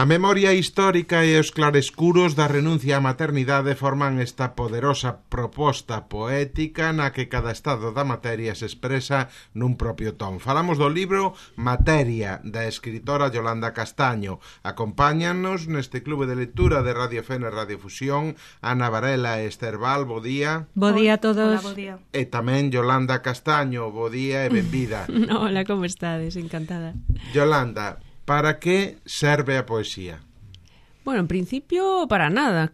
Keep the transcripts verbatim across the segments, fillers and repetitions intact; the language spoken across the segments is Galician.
A memoria histórica e os clarescuros da renuncia á maternidade forman esta poderosa proposta poética na que cada estado da materia se expresa nun propio ton. Falamos do libro Materia, da escritora Yolanda Castaño. Acompáñanos neste clube de lectura de Radio F N Radio Fusión Ana Varela e Esther Val, bo día. Bo día a todos. Hola, bo día. E tamén Yolanda Castaño, bo día e benvida. Hola, como estades? Encantada. Yolanda, para que serve a poesía? Bueno, en principio para nada,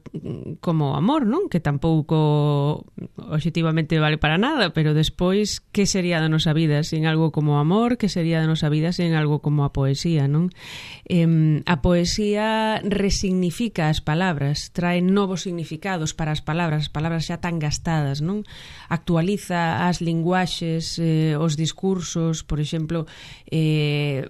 como amor, non? Que tampouco obxectivamente vale para nada, pero despois, que sería da nosa vida sen algo como amor? Que sería da nosa vida sen algo como a poesía, non? Eh, a poesía resignifica as palabras, trae novos significados para as palabras, as palabras xa tan gastadas, non? Actualiza as linguaxes, eh, os discursos, por exemplo, eh,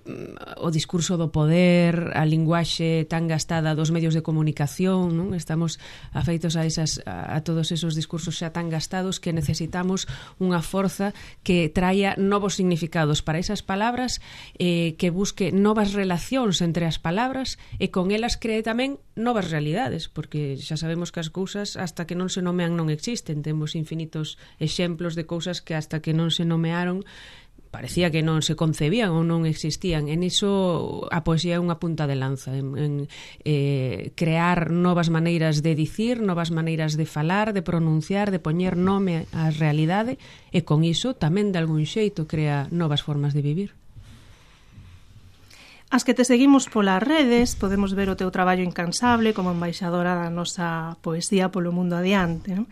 o discurso do poder, a linguaxe tan gastada dos medios de comunicación, non? Estamos afeitos a esas a, a todos esos discursos xa tan gastados que necesitamos unha forza que traia novos significados para esas palabras, eh, que busque novas relacións entre as palabras e con elas cree tamén novas realidades, porque xa sabemos que as cousas hasta que non se nomean non existen. Temos infinitos exemplos de cousas que hasta que non se nomearon parecía que non se concebían ou non existían. En iso a poesía é unha punta de lanza, en, en eh, crear novas maneiras de dicir, novas maneiras de falar, de pronunciar, de poñer nome á realidade, e con iso tamén de algún xeito crea novas formas de vivir. As que te seguimos polas redes, podemos ver o teu traballo incansable como embaixadora da nosa poesía polo mundo adiante, non?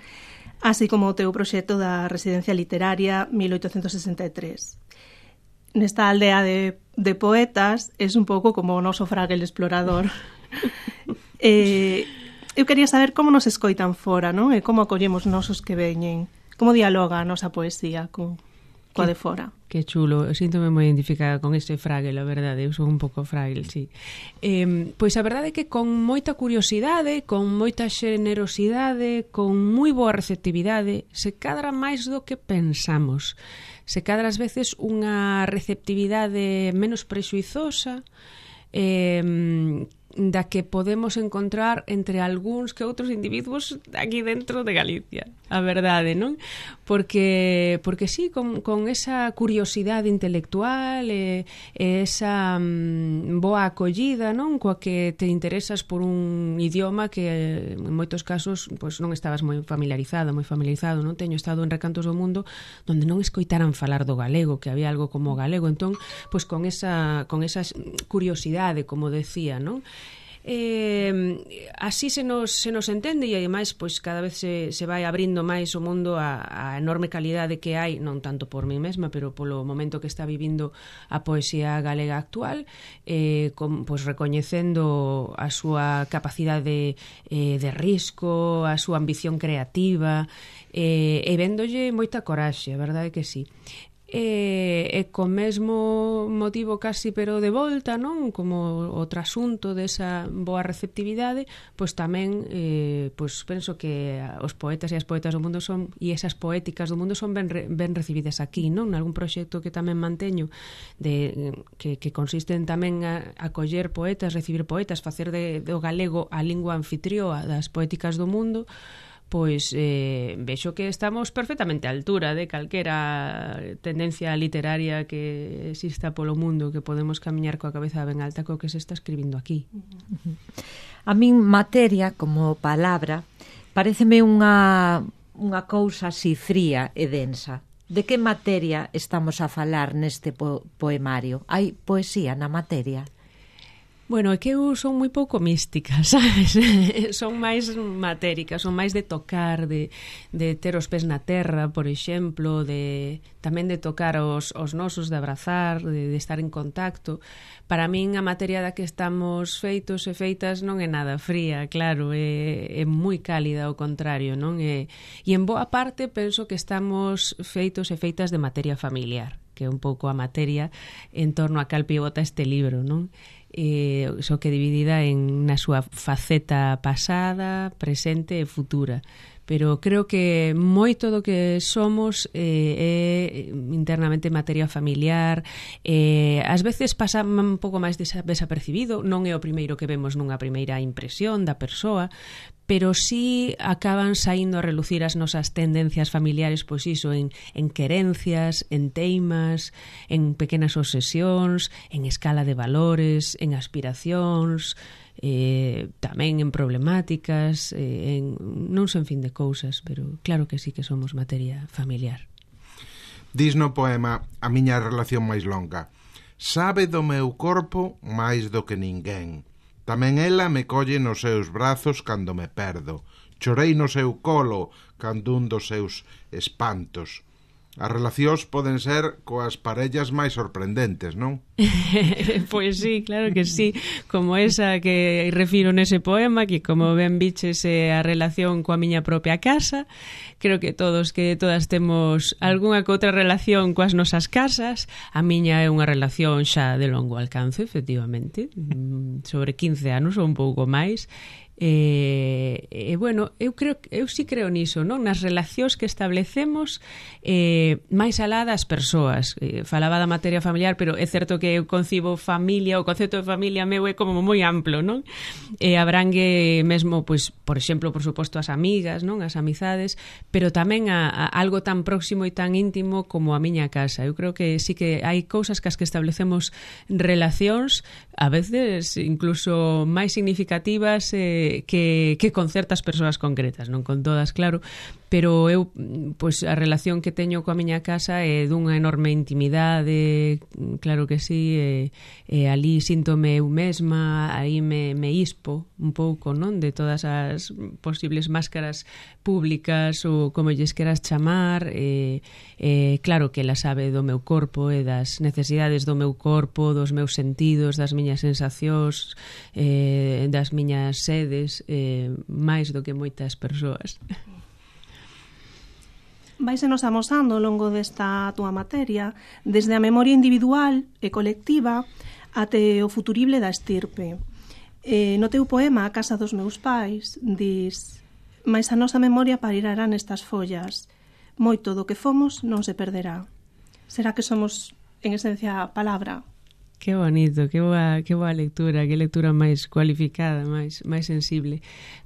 Así como o teu proxecto da Residencia Literaria mil oitocentos sesenta e tres. Nesta aldea de, de poetas es un pouco como o noso Fraggle explorador. eh, eu quería saber como nos escoitan fora, non? E como acollemos nosos que veñen. Como dialoga a nosa poesía co, coa de fora. Que chulo, eu síntome moi identificada con ese Fraggle, a verdade, eu son un pouco Fraggle, sí. Eh, pois a verdade é que con moita curiosidade, con moita xenerosidade, con moi boa receptividade, se cadra máis do que pensamos. Se cadra ás veces unha receptividade menos prexuizosa, eh, da que podemos encontrar entre algúns que outros individuos aquí dentro de Galicia, a verdade, non? Porque, porque sí, con, con esa curiosidade intelectual e, e esa mm, boa acollida, non? Coa que te interesas por un idioma que en moitos casos pois, non estabas moi familiarizado, moi familiarizado, non? Teño estado en recantos do mundo onde non escoitaran falar do galego, que había algo como galego, entón, pois con esa, con esa curiosidade, como decía, non? Eh, así se nos, se nos entende, e ademais pois cada vez se, se vai abrindo máis o mundo a, a enorme calidade que hai, non tanto por mí mesma, pero polo momento que está vivindo a poesía galega actual, eh, con, pois recoñecendo a súa capacidade eh, de risco, a súa ambición creativa, eh, e véndolle moita coraxe, a verdade que sí. E, e co mesmo motivo casi pero de volta, non? Como o trasunto desa boa receptividade, pois tamén eh, pois penso que os poetas e as poetas do mundo son, e esas poéticas do mundo son ben, ben recibidas aquí, non? Nalgún proxecto que tamén manteño de, que, que consisten tamén a, a coller poetas, recibir poetas, facer de, do galego a lingua anfitrioa das poéticas do mundo, pois eh, vexo que estamos perfectamente á altura de calquera tendencia literaria que exista polo mundo, que podemos camiñar coa cabeza ben alta co que se está escribindo aquí. A min materia como palabra paréceme unha, unha cousa así fría e densa. De que materia estamos a falar neste po poemario? Hai poesía na materia? Bueno, é que eu son moi pouco mística, sabes? Son máis matéricas, son máis de tocar, de, de ter os pés na terra, por exemplo, de tamén de tocar os, os nosos, de abrazar, de, de estar en contacto. Para min a materia da que estamos feitos e feitas non é nada fría, claro, é, é moi cálida, ao contrario, non? E, e en boa parte penso que estamos feitos e feitas de materia familiar, que é un pouco a materia en torno a cal pivota este libro, non? eh, só que dividida en na súa faceta pasada, presente e futura. Pero creo que moito do que somos eh, é internamente materia familiar, eh, ás veces pasa un pouco máis desapercibido, non é o primeiro que vemos nunha primeira impresión da persoa, pero sí acaban saindo a relucir as nosas tendencias familiares, pois iso, en, en querencias, en teimas, en pequenas obsesións, en escala de valores, en aspiracións, eh, tamén en problemáticas, eh, en non sen fin de cousas, pero claro que sí que somos materia familiar. Dis no poema a miña relación máis longa: sabe do meu corpo máis do que ninguén. Tamén ela me colle nos seus brazos cando me perdo. Chorei no seu colo cando un dos seus espantos. As relacións poden ser coas parellas máis sorprendentes, non? Pois sí, claro que sí. Como esa que refiro nese poema, que como ben biches é a relación coa miña propia casa. Creo que todos, que todas temos algunha que outra relación coas nosas casas. A miña é unha relación xa de longo alcance, efectivamente, sobre quince anos ou un pouco máis. E, e bueno, eu creo eu sí creo niso, non? Nas relacións que establecemos eh, máis alá das persoas. Eh, falaba da materia familiar, pero é certo que eu concibo familia, o concepto de familia meu é como moi amplo, non? E abrangue mesmo, pois, por exemplo, por suposto, as amigas, non? As amizades, pero tamén a, a algo tan próximo e tan íntimo como a miña casa. Eu creo que sí que hai cousas cas que establecemos relacións, a veces incluso máis significativas eh, que, que con certas persoas concretas, non con todas, claro, pero eu, pois, a relación que teño coa miña casa é dunha enorme intimidade, claro que sí, e, e ali síntome eu mesma, aí me, me ispo un pouco, non, de todas as posibles máscaras públicas ou como lles queras chamar, e, e claro que ela sabe do meu corpo e das necesidades do meu corpo, dos meus sentidos, das miñas sensacións, eh, das miñas sedes, eh, máis do que moitas persoas. Váisenos amosando ao longo desta túa materia desde a memoria individual e colectiva até o futurible da estirpe. Eh, no teu poema A casa dos meus pais dis: mais a nosa memoria parirará nestas follas, moito do que fomos non se perderá. Será que somos, en esencia, a palabra? Que bonito, que boa, que boa lectura, que lectura máis cualificada, máis máis sensible.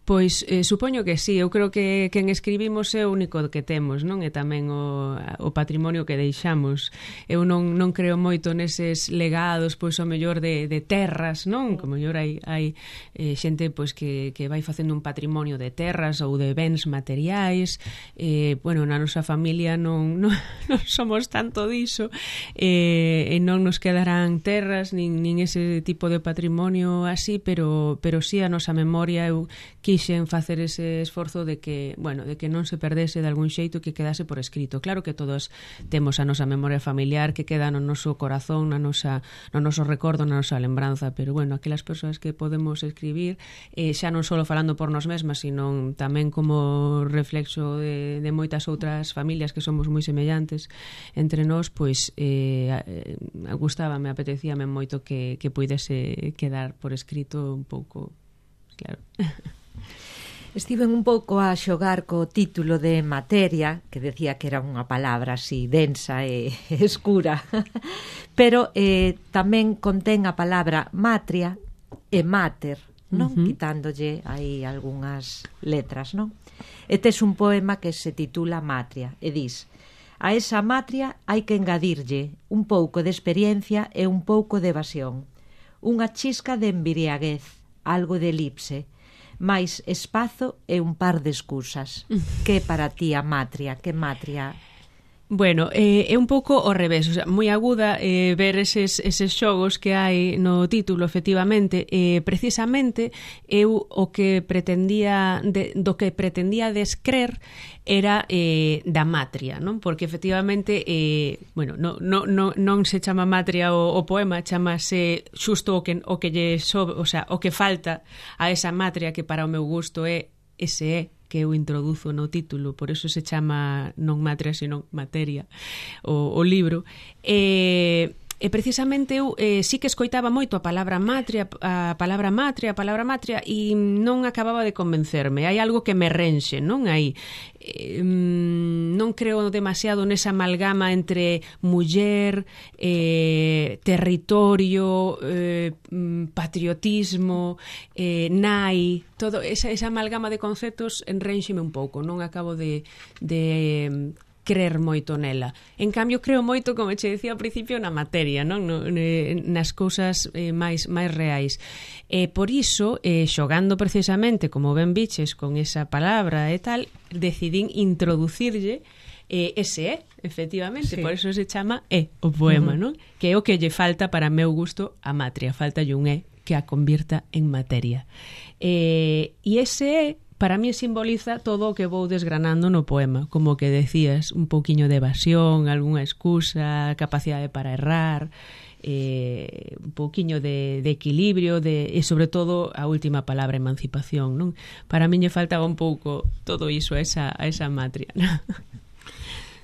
Pois eh, supoño que sí, eu creo que quen escribimos é o único que temos, non? E tamén o, o patrimonio que deixamos. Eu non, non creo moito neses legados, pois o mellor de, de terras, non? Como mellor hai, hai eh, xente pois que, que vai facendo un patrimonio de terras ou de bens materiais. Eh, bueno, na nosa familia non, non, non somos tanto diso, eh, e non nos quedarán terras nin, nin ese tipo de patrimonio así, pero, pero sí a nosa memoria. Eu quixen facer ese esforzo de que, bueno, de que non se perdese de algún xeito, que quedase por escrito. Claro que todos temos a nosa memoria familiar que queda no noso corazón, na nosa, no noso recordo, na nosa lembranza, pero bueno, aquelas persoas que podemos escribir, eh, xa non só falando por nós mesmas, sino tamén como reflexo de, de moitas outras familias que somos moi semellantes entre nós, pois eh, gustábame, apetecíame moito que, que puidese quedar por escrito un pouco, claro. Estiven un pouco a xogar co título de materia, que decía que era unha palabra así densa e escura, pero eh, tamén contén a palabra matria e mater, non? Uh-huh. Quitándolle aí algunhas letras, non? E tes un poema que se titula Matria e dis: a esa matria hai que engadirlle un pouco de experiencia e un pouco de evasión, unha chisca de embriaguez, algo de elipse, máis espazo e un par de excusas. Que para ti a matria? Que matria? Bueno, eh, é un pouco ao revés, o sea, moi aguda eh, ver eses, eses xogos que hai no título, efectivamente. Eh, precisamente, eu o que pretendía, de, do que pretendía descrer era eh, da matria, non? Porque efectivamente, eh, bueno, no, no, no, non se chama matria o, o poema, chamase xusto o que, o que lle sobe, o sea, o que falta a esa matria, que para o meu gusto é ese é que eu introduzo no título, por eso se chama non matria, sino materia, o, o libro. E, E precisamente eu eh, sí que escoitaba moito a palabra matria, a palabra matria, a palabra matria, e non acababa de convencerme. Hai algo que me renxe, non? Hai eh, non creo demasiado nesa amalgama entre muller, eh, territorio, eh, patriotismo, eh, nai, todo esa, esa amalgama de conceptos enrénxeme un pouco, non acabo de, de creer moito nela. En cambio, creo moito, como che decía ao principio, na materia, non? No, nas cousas eh, máis máis reais. E por iso, eh, xogando precisamente, como ben biches, con esa palabra e tal, decidín introducirlle eh, ese é, efectivamente, sí. Por iso se chama é o poema, uh-huh. Non? Que é o que lle falta para meu gusto a matria, falta un é que a convirta en materia. Eh, e ese é para mí simboliza todo o que vou desgranando no poema, como que decías, un pouquiño de evasión, algunha excusa, capacidade para errar, eh, un pouquiño de, de equilibrio, de, e sobre todo a última palabra, emancipación, non? Para mí lle faltaba un pouco todo iso a esa, a esa matria, non?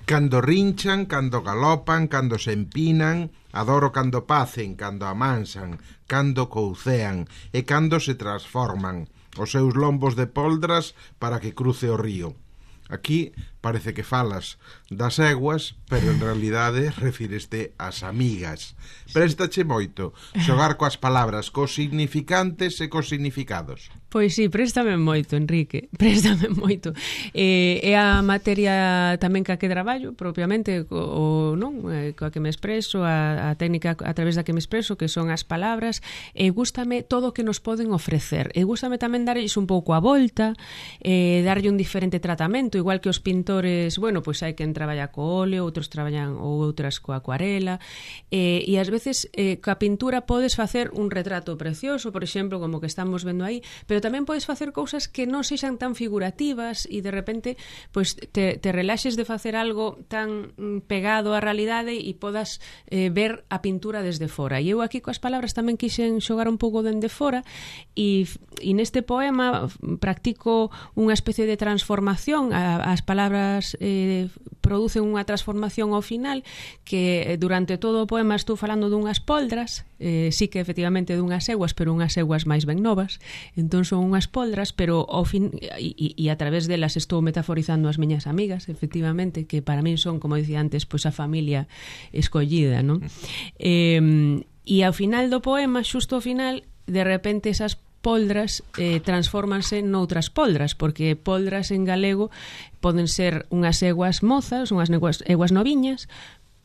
Cando rinchan, cando galopan, cando se empinan, adoro cando pacen, cando amansan, cando coucean e cando se transforman os seus lombos de poldras para que cruce o río. Aquí parece que falas das eguas, pero en realidade refíreste ás amigas. Préstache moito xogar coas palabras, cos significantes e cos significados. Pois sí, préstame moito, Enrique, préstame moito. Eh, é a materia tamén ca que traballo, propiamente, o, non? Eh, coa que me expreso, a, a técnica a través da que me expreso, que son as palabras, e gústame todo o que nos poden ofrecer. E gústame tamén darlles un pouco a volta, eh, darlle un diferente tratamento, igual que os pintores, bueno, pois hai quen traballa co óleo, outros traballan ou outras coa acuarela, eh, e ás veces eh, coa pintura podes facer un retrato precioso, por exemplo, como que estamos vendo aí, pero tamén podes facer cousas que non sexan tan figurativas e de repente pois te, te relaxes de facer algo tan pegado á realidade e podas eh, ver a pintura desde fora. E eu aquí coas palabras tamén quixen xogar un pouco dende fora e, e neste poema practico unha especie de transformación. A, as palabras eh, producen unha transformación ao final que durante todo o poema estou falando dunhas poldras, eh, sí que efectivamente dunhas eguas, pero unhas eguas máis ben novas, entón son unhas poldras, pero ao fin e, e a través delas estou metaforizando as miñas amigas, efectivamente, que para min son, como dicía antes, pois a familia escollida, non? Eh, e ao final do poema, xusto ao final, de repente esas poldras eh, transfórmanse noutras poldras, porque poldras en galego poden ser unhas eguas mozas, unhas eguas, eguas noviñas,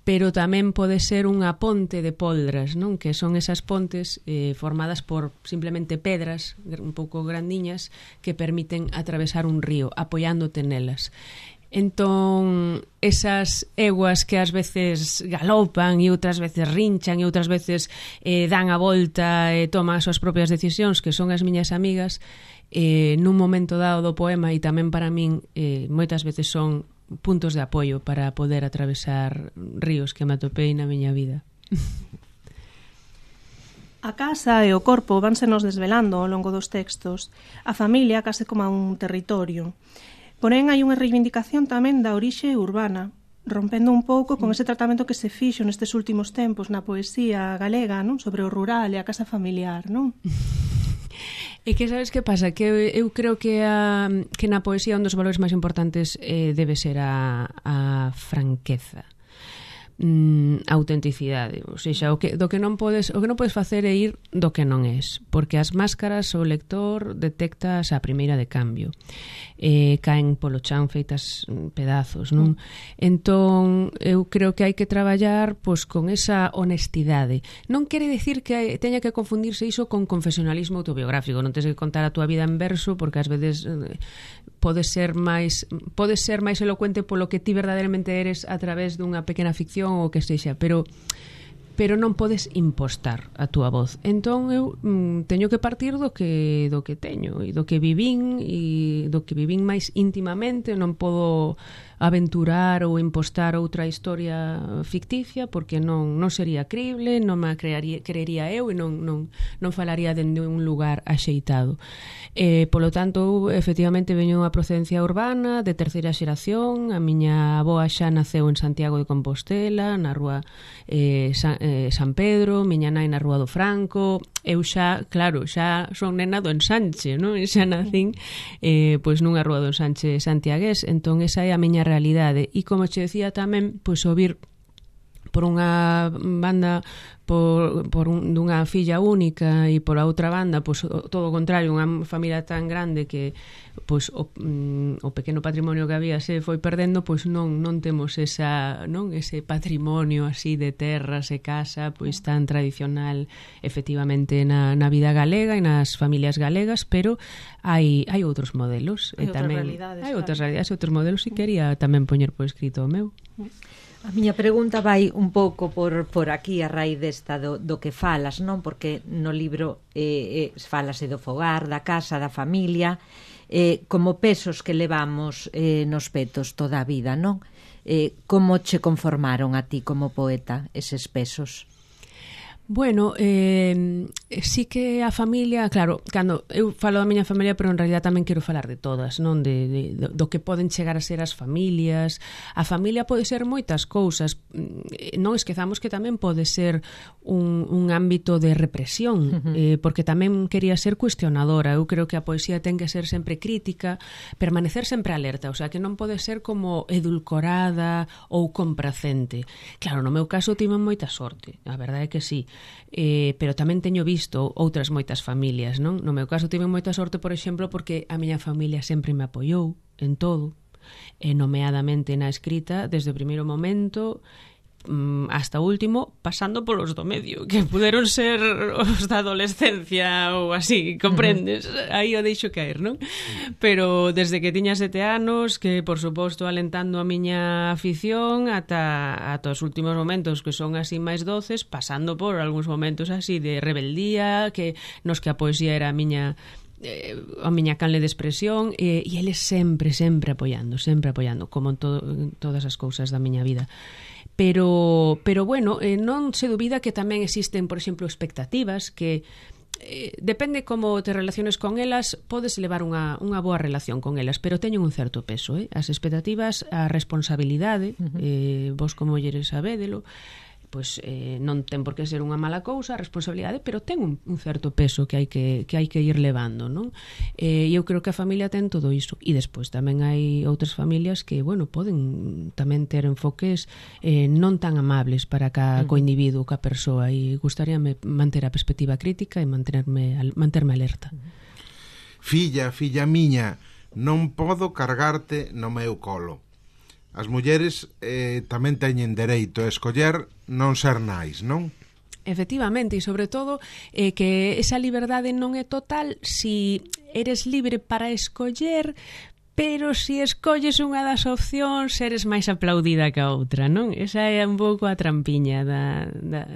pero tamén pode ser unha ponte de poldras, non? Que son esas pontes eh, formadas por simplemente pedras un pouco grandiñas que permiten atravesar un río, apoiándote nelas. Entón, esas eguas que ás veces galopan e outras veces rinchan e outras veces eh, dan a volta e toman as súas propias decisións, que son as miñas amigas, eh, nun momento dado do poema, e tamén para min eh, moitas veces son puntos de apoio para poder atravesar ríos que me atopei na miña vida. A casa e o corpo vanse nos desvelando ao longo dos textos. A familia case como un territorio. Porén, hai unha reivindicación tamén da orixe urbana, rompendo un pouco con ese tratamento que se fixo nestes últimos tempos na poesía galega, non? Sobre o rural e a casa familiar, non? E que sabes que pasa? Que eu, eu creo que, a, que na poesía un dos valores máis importantes eh, debe ser a, a franqueza, mm, a autenticidade, ou seja, o que, do que non podes, o que non podes facer é ir do que non és, porque as máscaras o lector detectas a primeira de cambio, eh, caen polo chan feitas pedazos, non? Entón, eu creo que hai que traballar pois con esa honestidade. Non quere decir que teña que confundirse iso con confesionalismo autobiográfico, non tens que contar a túa vida en verso, porque ás veces eh, pode ser máis pode ser máis elocuente polo que ti verdadeiramente eres a través dunha pequena ficción ou o que sexa, pero pero non podes impostar a túa voz. Entón eu mm, teño que partir do que do que teño e do que vivín e do que vivín máis íntimamente. Non podo aventurar ou impostar outra historia ficticia porque non, non sería crible, non me crearía, creería eu e non, non, non falaría dende un lugar axeitado. Eh, polo tanto, efectivamente, veño a procedencia urbana de terceira xeración. A miña avoa xa naceu en Santiago de Compostela, na rúa eh, San, eh, San Pedro, miña nai na Rúa do Franco, eu xa, claro, xa son nena do Ensanche, non? Xa nacín eh, pois nunha Rúa do Ensanche santiagués, entón esa é a miña realidade. E como che decía tamén, pois ouvir por unha banda por, por un, dunha filla única e por a outra banda, pois todo o contrario, unha familia tan grande que pois o, mm, o pequeno patrimonio que había se foi perdendo, pois non non temos esa, non, ese patrimonio así de terras e casa, pois tan tradicional efectivamente na, na vida galega e nas familias galegas, pero hai hai outros modelos, hai e outras tamén realidades, hai outras claro. realidades, outros modelos, e quería tamén poñer por escrito o meu. A miña pregunta vai un pouco por, por aquí a raíz desta do, do que falas, non? Porque no libro eh, eh, falase do fogar, da casa, da familia, eh, como pesos que levamos eh, nos petos toda a vida, non? Eh, como che conformaron a ti como poeta eses pesos? Bueno, eh, sí que a familia, claro, cando eu falo da miña familia, pero en realidad tamén quero falar de todas, non? De, de, do que poden chegar a ser as familias. A familia pode ser moitas cousas. Non esquezamos que tamén pode ser un, un ámbito de represión, uh-huh. eh, porque tamén quería ser cuestionadora. Eu creo que a poesía ten que ser sempre crítica, permanecer sempre alerta, o sea, que non pode ser como edulcorada ou complacente. Claro, no meu caso tive moita sorte, a verdade é que sí. Eh, pero tamén teño visto outras moitas familias, non? No meu caso tive moita sorte, por exemplo, porque a miña familia sempre me apoiou en todo, e nomeadamente na escrita desde o primeiro momento hasta o último, pasando polos do medio, que puderon ser os da adolescencia ou así, comprendes? Uh-huh. Aí o deixo caer, non? Pero desde que tiña sete anos, que por suposto alentando a miña afición ata, ata os últimos momentos que son así máis doces, pasando por algúns momentos así de rebeldía, que nos que a poesía era a miña eh, a miña canle de expresión, e, e eles sempre, sempre apoiando, sempre apoiando, como en, todo, en todas as cousas da miña vida. Pero, pero bueno, eh, non se dubida que tamén existen, por exemplo, expectativas que eh, depende como te relaciones con elas, podes levar unha, unha boa relación con elas, pero teñen un certo peso, eh? As expectativas, a responsabilidade, uh-huh. eh, vos como mulleres sabédelo, pois eh, non ten por que ser unha mala cousa, a responsabilidade, pero ten un, un certo peso que hai que, que hai que ir levando, non? E eh, eu creo que a familia ten todo iso, e despois tamén hai outras familias que, bueno, poden tamén ter enfoques eh, non tan amables para ca, co individuo, ca persoa, e gustaríame manter a perspectiva crítica e manterme, manterme alerta. Filla, filla miña, non podo cargarte no meu colo. As mulleres eh, tamén teñen dereito a escoller non ser nais, non? Efectivamente, e sobre todo eh, que esa liberdade non é total si eres libre para escoller, pero si escolles unha das opcións eres máis aplaudida que a outra, non? Esa é un pouco a trampiña da, da,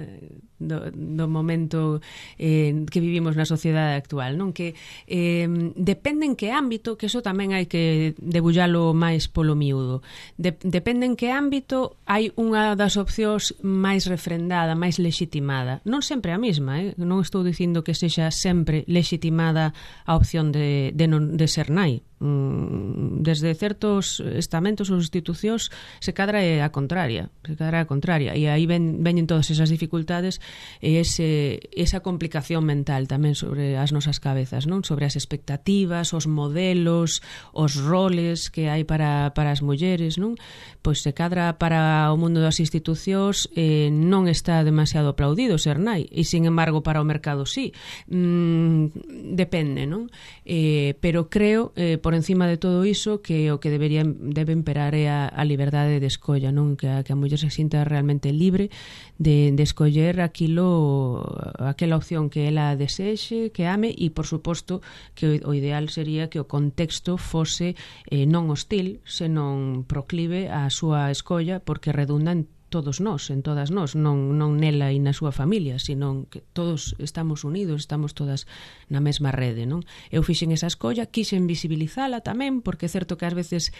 do, do momento eh, que vivimos na sociedade actual, non? Que eh, depende en que ámbito, que eso tamén hai que debullalo máis polo miúdo, de, depende en que ámbito hai unha das opcións máis refrendada, máis legitimada, non sempre a mesma, eh? Non estou dicindo que sexa sempre legitimada a opción de, de, non, de ser nai. Desde certos estamentos ou institucións se cadra é a contraria, se cadra é a contraria, e aí ven, veñen todas esas dificultades e ese, esa complicación mental tamén sobre as nosas cabezas, non? Sobre as expectativas, os modelos, os roles que hai para, para as mulleres, non? Pois se cadra para o mundo das institucións eh, non está demasiado aplaudido ser nai, e sin embargo para o mercado sí. Mm, depende, non? Eh, pero creo eh, por encima de todo iso que o que debería debe imperar é a, a liberdade de escolla, non? Que a, que a muller se sinta realmente libre de, de escoller aquilo, aquela opción que ela desexe, que ame, e por suposto que o, o ideal sería que o contexto fose eh, non hostil, senón proclive á súa escolla, porque redunda en todos nós, en todas nós, non, non nela e na súa familia, sino que todos estamos unidos, estamos todas na mesma rede, non? Eu fixen esa escolla, quixen visibilizala tamén, porque é certo que ás veces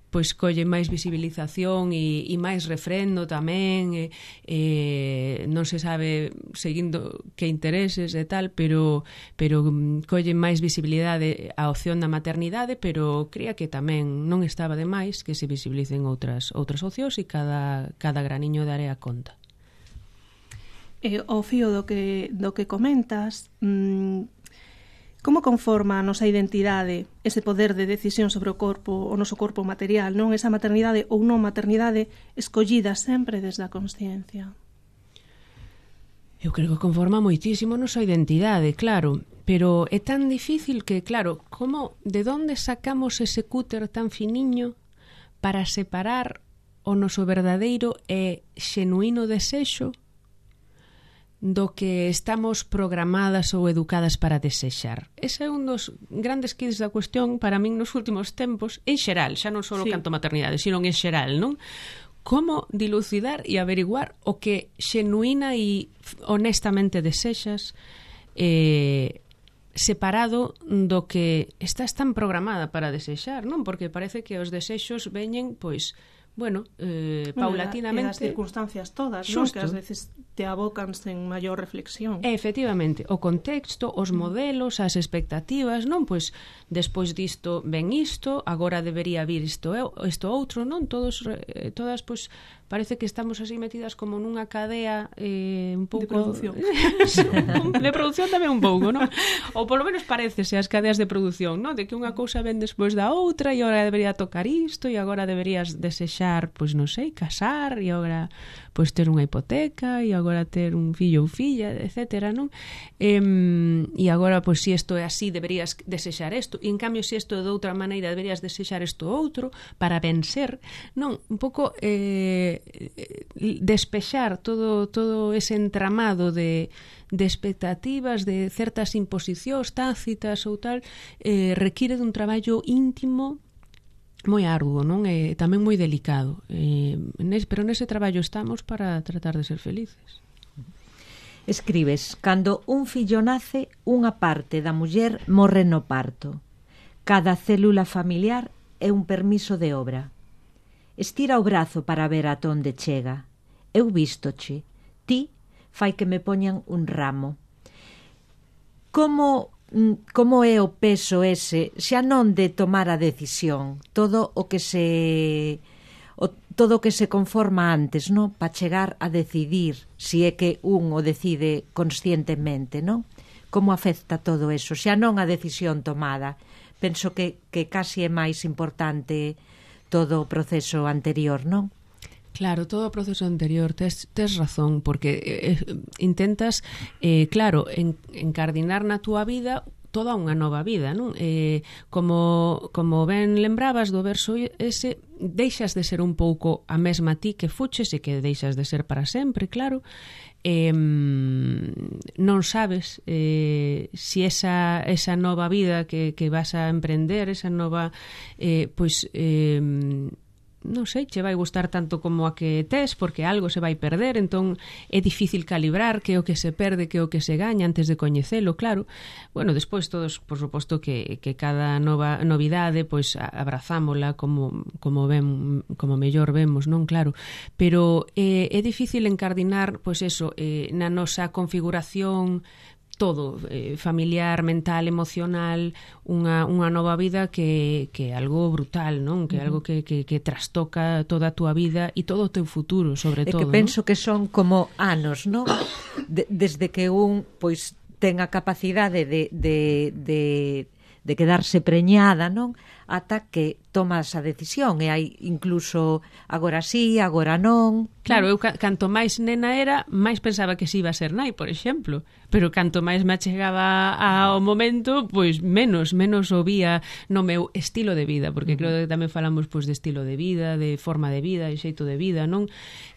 pois colle máis visibilización e, e máis refrendo tamén, e, e non se sabe seguindo que intereses e tal, pero pero colle máis visibilidade a opción da maternidade, pero cría que tamén non estaba de máis que se visibilicen outras outras opcións, e cada, cada graniño daré a conta. E ao fío do que, do que comentas, mmm, como conforma a nosa identidade ese poder de decisión sobre o corpo, o noso corpo material, non? Esa maternidade ou non maternidade escollida sempre desde a consciencia. Eu creo que conforma moitísimo a nosa identidade, claro, pero é tan difícil que, claro, como, de onde sacamos ese cúter tan finiño para separar o noso verdadeiro e xenuíno desexo do que estamos programadas ou educadas para desexar. Ese é un dos grandes quiz da cuestión para min nos últimos tempos, en xeral, xa non só sí. canto maternidade, sino en xeral, non? Como dilucidar e averiguar o que xenuína e honestamente desexas eh, separado do que estás tan programada para desexar, non? Porque parece que os desexos veñen, pois, bueno, eh, paulatinamente... E das circunstancias todas, non? Que ás veces te abocan sen maior reflexión. Efectivamente, o contexto, os modelos, as expectativas, non? Pois, despois disto ven isto, agora debería vir isto, isto outro, non? Todos, eh, todas, pois, parece que estamos así metidas como nunha cadea eh, un pouco... De producción. de producción tamén un pouco, non? Ou polo menos parecese as cadeas de produción, non? De que unha cousa ven despois da outra e agora debería tocar isto e agora deberías desexar, pois non sei, casar e agora pois ter unha hipoteca e agora ter un fillo ou filla, etcétera, non? E, e agora, pois, se isto é así, deberías desexar isto, e en cambio, se isto é de outra maneira, deberías desexar isto outro para vencer, non? Un pouco eh, despexar todo, todo ese entramado de, de expectativas, de certas imposicións tácitas ou tal, eh, require dun traballo íntimo moi arduo, non? E tamén moi delicado. Eh, nes, pero nese traballo estamos para tratar de ser felices. Escribes, cando un fillo nace, unha parte da muller morre no parto. Cada célula familiar é un permiso de obra. Estira o brazo para ver a onde chega. Eu vístoche. Ti fai que me poñan un ramo. Como... como é o peso ese, xa non de tomar a decisión, todo o que se o, todo o que se conforma antes, non? Para chegar a decidir si é que un o decide conscientemente, non? Como afecta todo eso, xa non a decisión tomada. Penso que, que casi é máis importante todo o proceso anterior, non? Claro, todo o proceso anterior, tes, tes razón, porque eh, intentas, eh, claro, en, encardinar na túa vida toda unha nova vida, non? Eh, como, como ben lembrabas do verso ese, deixas de ser un pouco a mesma ti que fuches e que deixas de ser para sempre, claro. Eh, non sabes eh, si esa, esa nova vida que, que vas a emprender, esa nova, eh, pois... Eh, non sei, che vai gustar tanto como a que tes, porque algo se vai perder, entón é difícil calibrar que o que se perde, que o que se gaña antes de coñecelo, claro. Bueno, despois todos, por suposto, que, que cada nova novidade, pois abrazámola como, como, ven, como mellor vemos, non? Claro, pero eh, é difícil encardinar, pois eso, eh, na nosa configuración todo, eh, familiar, mental, emocional, unha, unha nova vida que, que é algo brutal, non? Que é algo que, que, que trastoca toda a túa vida e todo o teu futuro, sobre é todo. É que penso, non? Que son como anos, non? De, desde que un, pois, ten a capacidade de, de, de, de quedarse preñada, non? Ata que tomas a decisión e hai incluso agora sí, agora non. Claro, eu canto máis nena era, máis pensaba que si iba a ser nai, por exemplo, pero canto máis me achegaba ao momento, pois menos, menos o vía no meu estilo de vida, porque uh-huh. creo que tamén falamos pois de estilo de vida, de forma de vida, de xeito de vida, non?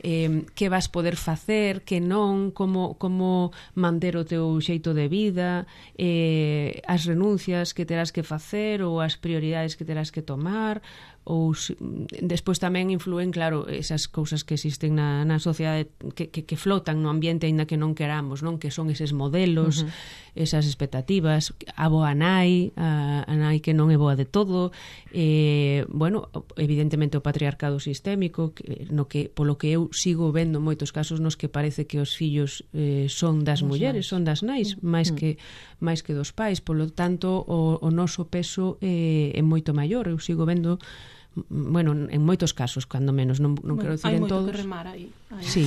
Eh, que vas poder facer, que non, como, como manter o teu xeito de vida, eh, as renuncias que terás que facer ou as prioridades que terás que tomar, ou despois tamén influen, claro, esas cousas que existen na, na sociedade que, que, que flotan no ambiente aínda que non queramos, non? Que son eses modelos, uh-huh. esas expectativas, a boa nai, a, a nai que non é boa de todo, eh, bueno, evidentemente o patriarcado sistémico, que, no que, polo que eu sigo vendo moitos casos nos que parece que os fillos eh, son das Os mulleres, nais. son das nais, máis uh-huh. que máis que dos pais, polo tanto o, o noso peso eh, é moito maior. Eu sigo vendo bueno, en moitos casos, cando menos, non, non bueno, quero dicir en todos. Hai moito que remar aí. aí. Sí.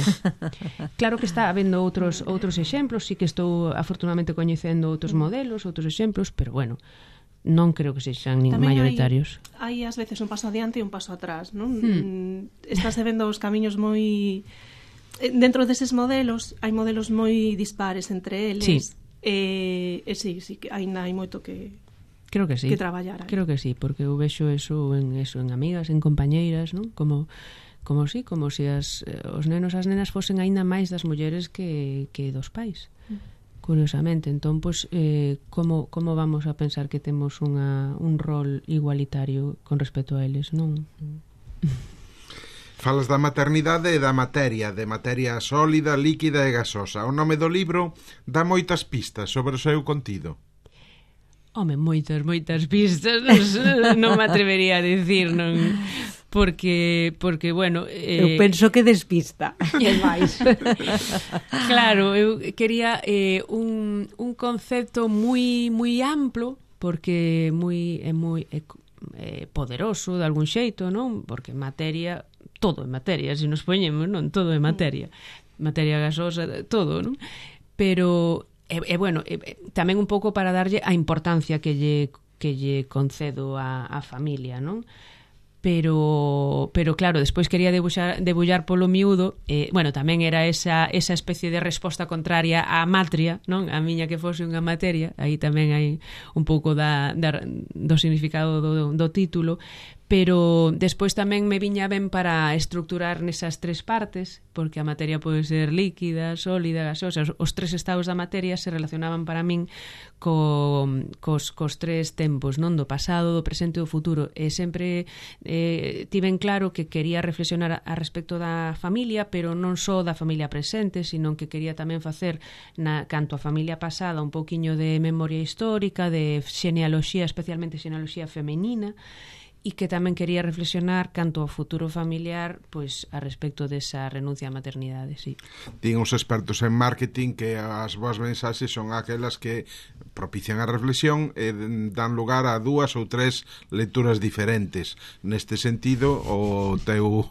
Claro que está habendo outros outros exemplos, sí que estou afortunadamente coñecendo outros modelos, outros exemplos, pero bueno, non creo que sexan nin mayoritarios. Hai, hai ás veces un paso adiante e un paso atrás, non? Hmm. Estás vendo os camiños moi... Dentro deses modelos, hai modelos moi dispares entre eles. Sí. E, e sí, sí, que aínda hai moito que... Creo que sí. Que traballar aí. Creo que sí, porque eu vexo eso en eso en amigas, en compañeiras, non? Como como si, como se as os nenos as nenas fosen aínda máis das mulleres que que dos pais. Mm. Curiosamente, entón pois eh como como vamos a pensar que temos unha un rol igualitario con respecto a eles, non? Falas da maternidade e da materia, de materia sólida, líquida e gasosa. O nome do libro dá moitas pistas sobre o seu contido. Home, moitas, moitas pistas, non, non me atrevería a dicir, non, porque, porque bueno... Eh, eu penso que despista, e máis. Claro, eu quería eh, un, un concepto moi moi amplo, porque moi, é moi é, é poderoso de algún xeito, non? Porque materia, todo é materia, se nos poñemos, non? Todo é materia. Materia gasosa, todo, non? Pero... E, e bueno, e, tamén un pouco para darlle a importancia que lle, que lle concedo a, a familia, non? Pero, pero claro, despois quería debuxar, debullar polo miúdo, eh, bueno, tamén era esa, esa especie de resposta contraria á matria, non? A miña que fose unha materia, aí tamén hai un pouco da, da, do significado do, do título, pero despois tamén me viña ben para estructurar nesas tres partes, porque a materia pode ser líquida, sólida, gasosa. Os, os tres estados da materia se relacionaban para min co, cos, cos tres tempos, non? Do pasado, do presente e do futuro. E sempre eh, tiven claro que quería reflexionar a, a respecto da familia, pero non só da familia presente, sino que quería tamén facer na, canto a familia pasada un pouquiño de memoria histórica, de xenealoxía, especialmente xenealoxía femenina, e que tamén quería reflexionar canto ao futuro familiar, pois a respecto desa renuncia á maternidade, sí. Din os expertos en marketing que as boas mensaxes son aquelas que propician a reflexión e dan lugar a dúas ou tres lecturas diferentes. Neste sentido, o teu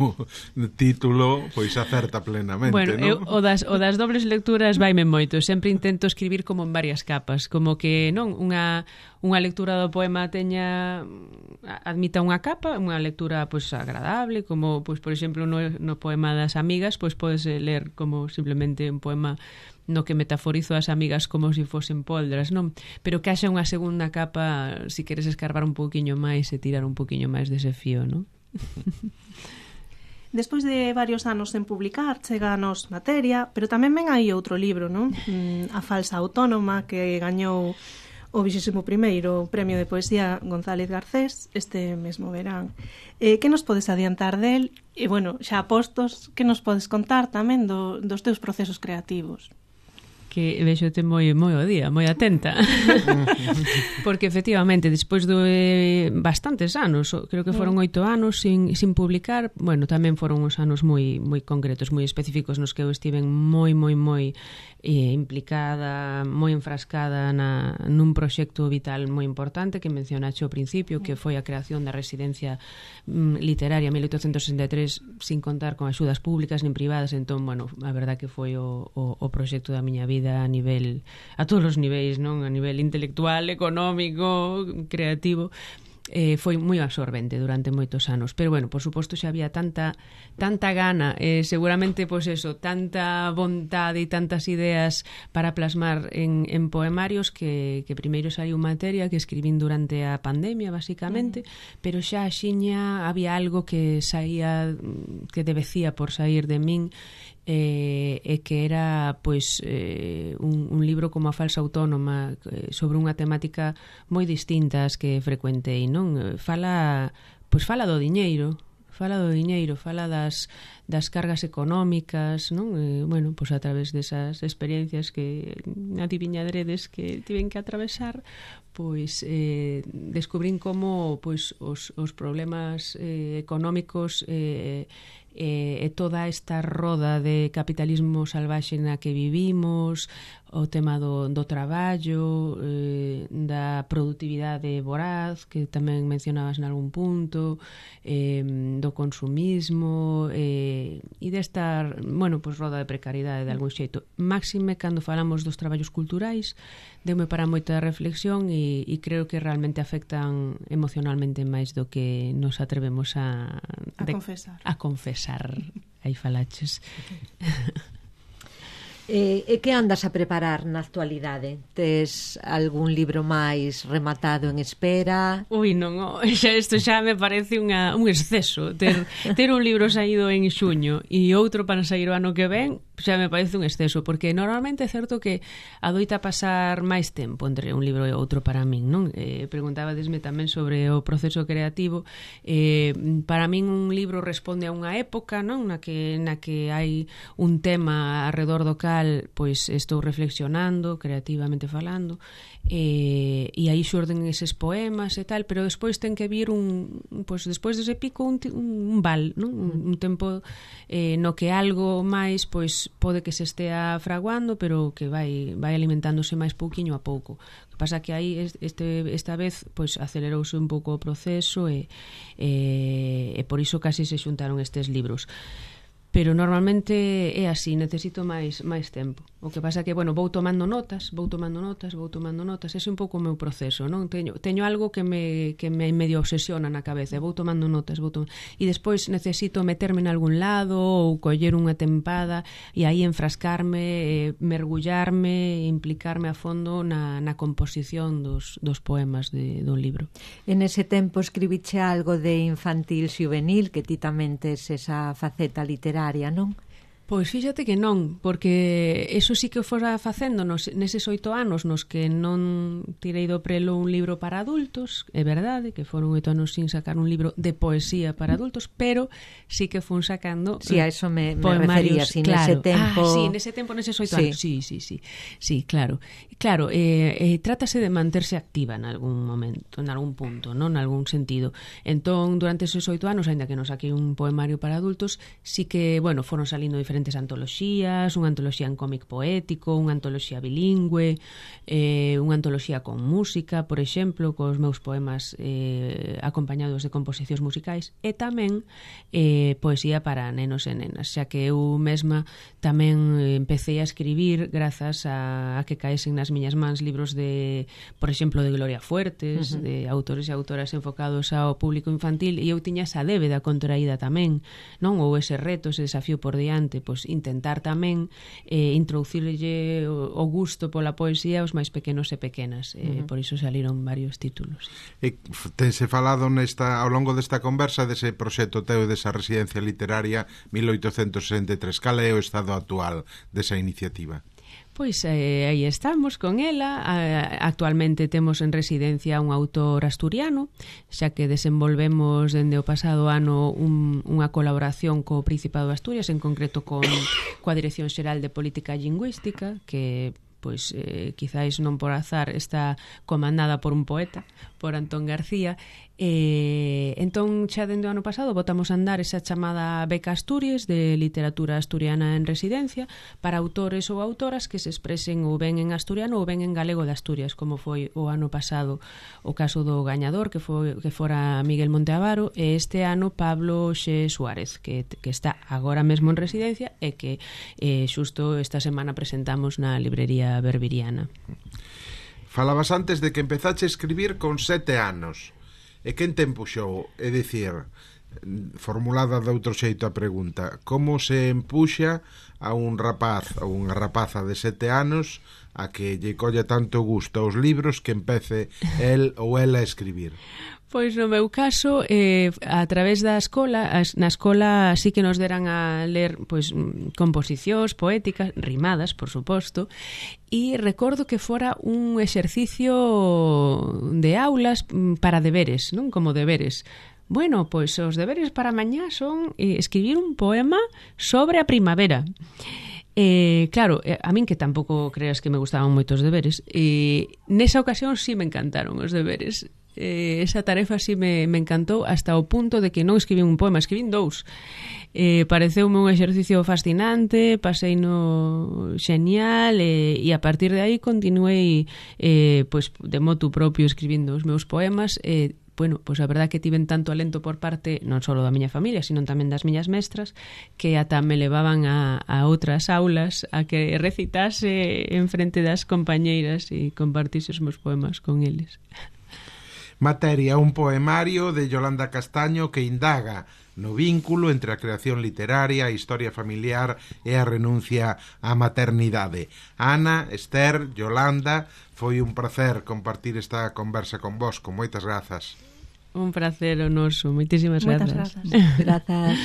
título pois acerta plenamente, bueno, non? Eu, o, das, o das dobles lecturas vaime moito. Sempre intento escribir como en varias capas, como que non unha unha lectura do poema teña admita unha capa, unha lectura pois agradable, como pois por exemplo no, no poema das amigas, pois podes ler como simplemente un poema no que metaforizo as amigas como se si fosen poldras, non? Pero que haxa unha segunda capa se si queres escarbar un pouquiño máis e tirar un pouquiño máis dese fío, non? Despois de varios anos en publicar, chega nos materia, pero tamén ven aí outro libro, non? A falsa autónoma, que gañou o vixésimo primeiro Premio de Poesía González Garcés este mesmo verán. Eh, que nos podes adiantar del? E, bueno, xa postos, que nos podes contar tamén do, dos teus procesos creativos? Que vexote moi moi o día, moi atenta. Porque efectivamente, despois de bastantes anos, creo que foron oito anos sin, sin publicar, bueno, tamén foron uns anos moi moi concretos, moi específicos nos que eu estiven moi moi moi eh, implicada, moi enfrascada na, nun proxecto vital moi importante que mencionaxe ao principio, que foi a creación da residencia mm, literaria mil oitocentos sesenta e tres sin contar con axudas públicas nin privadas, entón, bueno, a verdad que foi o, o, o proxecto da miña vida a nivel, a todos os niveis, non? A nivel intelectual, económico, creativo. Eh, foi moi absorbente durante moitos anos, pero bueno, por suposto xa había tanta tanta gana, eh, seguramente pois eso, tanta vontade e tantas ideas para plasmar en, en poemarios que, que primeiro saiu materia que escribín durante a pandemia basicamente, mm. pero xa axiña había algo que saía, que debecía por sair de min, e eh, que era pois eh, un, un libro como A falsa autónoma, eh, sobre unha temática moi distinta ás que frecuentei, non? Fala, pois fala do diñeiro, fala do diñeiro, fala das, das cargas económicas, non? Eh, bueno, pois a través desas experiencias que adiviñadredes que tiven que atravesar, pois eh, descubrín como pois os, os problemas eh, económicos eh, e, e toda esta roda de capitalismo salvaxe na que vivimos, o tema do, do traballo, eh, da productividade voraz, que tamén mencionabas en algún punto, eh, do consumismo, eh, e desta, bueno, pues, roda de precariedade de algún xeito. Máxime, cando falamos dos traballos culturais, deume para moita reflexión e, e creo que realmente afectan emocionalmente máis do que nos atrevemos a... A de, confesar. A confesar, aí falaches. E, e que andas a preparar na actualidade? Tes algún libro máis rematado en espera? Ui, non, oh, xa isto xa me parece unha, un exceso. Ter, ter un libro saído en xuño e outro para sair o ano que ven, xa me parece un exceso, porque normalmente é certo que adoita pasar máis tempo entre un libro e outro para min, non? Eh, preguntabadesme tamén sobre o proceso creativo. Eh, para min un libro responde a unha época, non? Na que, na que hai un tema arredor do cal pois estou reflexionando, creativamente falando, e, e aí xorden eses poemas e tal, pero despois ten que vir un, pois despois dese pico un, un val, non? Un, un tempo eh, no que algo máis pois pode que se estea fraguando, pero que vai vai alimentándose máis pouquiño a pouco. O que pasa que aí este esta vez pois acelerouse un pouco o proceso e e, e por iso casi se xuntaron estes libros. Pero normalmente é así, necesito máis máis tempo. O que pasa que, bueno, vou tomando notas, vou tomando notas, vou tomando notas, ese é un pouco o meu proceso, non? Teño, teño algo que me, que me medio obsesiona na cabeza, vou tomando notas, vou tomando... e despois necesito meterme en algún lado ou coller unha tempada e aí enfrascarme, eh, mergullarme, implicarme a fondo na, na composición dos, dos poemas de, do libro. En ese tempo escribiche algo de infantil xuvenil, que ti tamén tes esa faceta literaria, non? Pois fíxate que non, porque eso sí que o fora facendo nos, neses oito anos nos que non tirei do prelo un libro para adultos, é verdade que foron oito anos sin sacar un libro de poesía para adultos, pero sí que fun sacando sí, a eso me, me poemarios, refería, si claro. nese tempo... Ah, sí, nese tempo, neses oito sí. anos, sí, sí, sí, sí, claro. Claro, eh, eh, trátase de manterse activa en algún momento, en algún punto, non? En algún sentido. Entón, durante esos oito anos, ainda que non saquei un poemario para adultos, sí que, bueno, foron salindo diferentes antoloxías, unha antoloxía en cómic poético, unha antoloxía bilingüe, eh, unha antoloxía con música, por exemplo, cos meus poemas eh, acompañados de composicións musicais, e tamén eh, poesía para nenos e nenas, xa que eu mesma tamén empecé a escribir grazas a, a que caesen nas miñas mans libros de, por exemplo, de Gloria Fuertes, uh-huh. de autores e autoras enfocados ao público infantil, e eu tiña esa débeda contraída tamén, non? Ou ese reto, ese desafío por diante, pois intentar tamén eh, introducirlle o, o gusto pola poesía aos máis pequenos e pequenas. Eh, uh-huh. Por iso saliron varios títulos. E tense falado nesta, ao longo desta conversa dese proxecto teu, desa residencia literaria mil oitocentos sesenta e tres. Cal é o estado actual desa iniciativa? Pois eh, aí estamos con ela. Actualmente temos en residencia un autor asturiano, xa que desenvolvemos dende o pasado ano un, unha colaboración co Principado de Asturias, en concreto con coa Dirección Xeral de Política Lingüística, que pois eh, quizáis non por azar está comandada por un poeta, por Antón García. E entón xa dende o ano pasado botamos a andar esa chamada Beca Asturias de literatura asturiana en residencia para autores ou autoras que se expresen ou ben en asturiano ou ben en galego de Asturias, como foi o ano pasado o caso do gañador, que foi que fora Miguel Monteavaro, e este ano Pablo Xe Suárez, que, que está agora mesmo en residencia e que eh, xusto esta semana presentamos na librería Berbiriana. Falabas antes de que empezache a escribir con sete anos. E quen te empuxou? É dicir, formulada de outro xeito a pregunta, como se empuxa a un rapaz ou unha rapaza de sete anos a que lle colle tanto gusto aos libros que empece el ou ela a escribir? Pois no meu caso, eh, a través da escola, na escola sí que nos deran a ler pois composicións poéticas, rimadas, por suposto, e recordo que fora un exercicio de aulas para deberes, non? Como deberes. Bueno, pois os deberes para mañá son eh, escribir un poema sobre a primavera. Eh, claro, a min que tampouco creas que me gustaban moitos deberes, eh, nesa ocasión sí me encantaron os deberes. eh, esa tarefa sí me, me encantou hasta o punto de que non escribín un poema, escribín dous. Eh, pareceume un exercicio fascinante, pasei no xenial e, e a partir de aí continuei eh, pues, de motu propio escribindo os meus poemas. eh, Bueno, pois a verdad que tiven tanto alento por parte non só da miña familia, sino tamén das miñas mestras, que ata me levaban a, a outras aulas a que recitase en frente das compañeiras e compartise os meus poemas con eles. Materia, un poemario de Yolanda Castaño que indaga no vínculo entre a creación literaria, a historia familiar e a renuncia á maternidade. Ana, Esther, Yolanda, foi un placer compartir esta conversa con vos, con moitas grazas. Un placer o noso, moitísimas Moitas grazas. grazas. Grazas.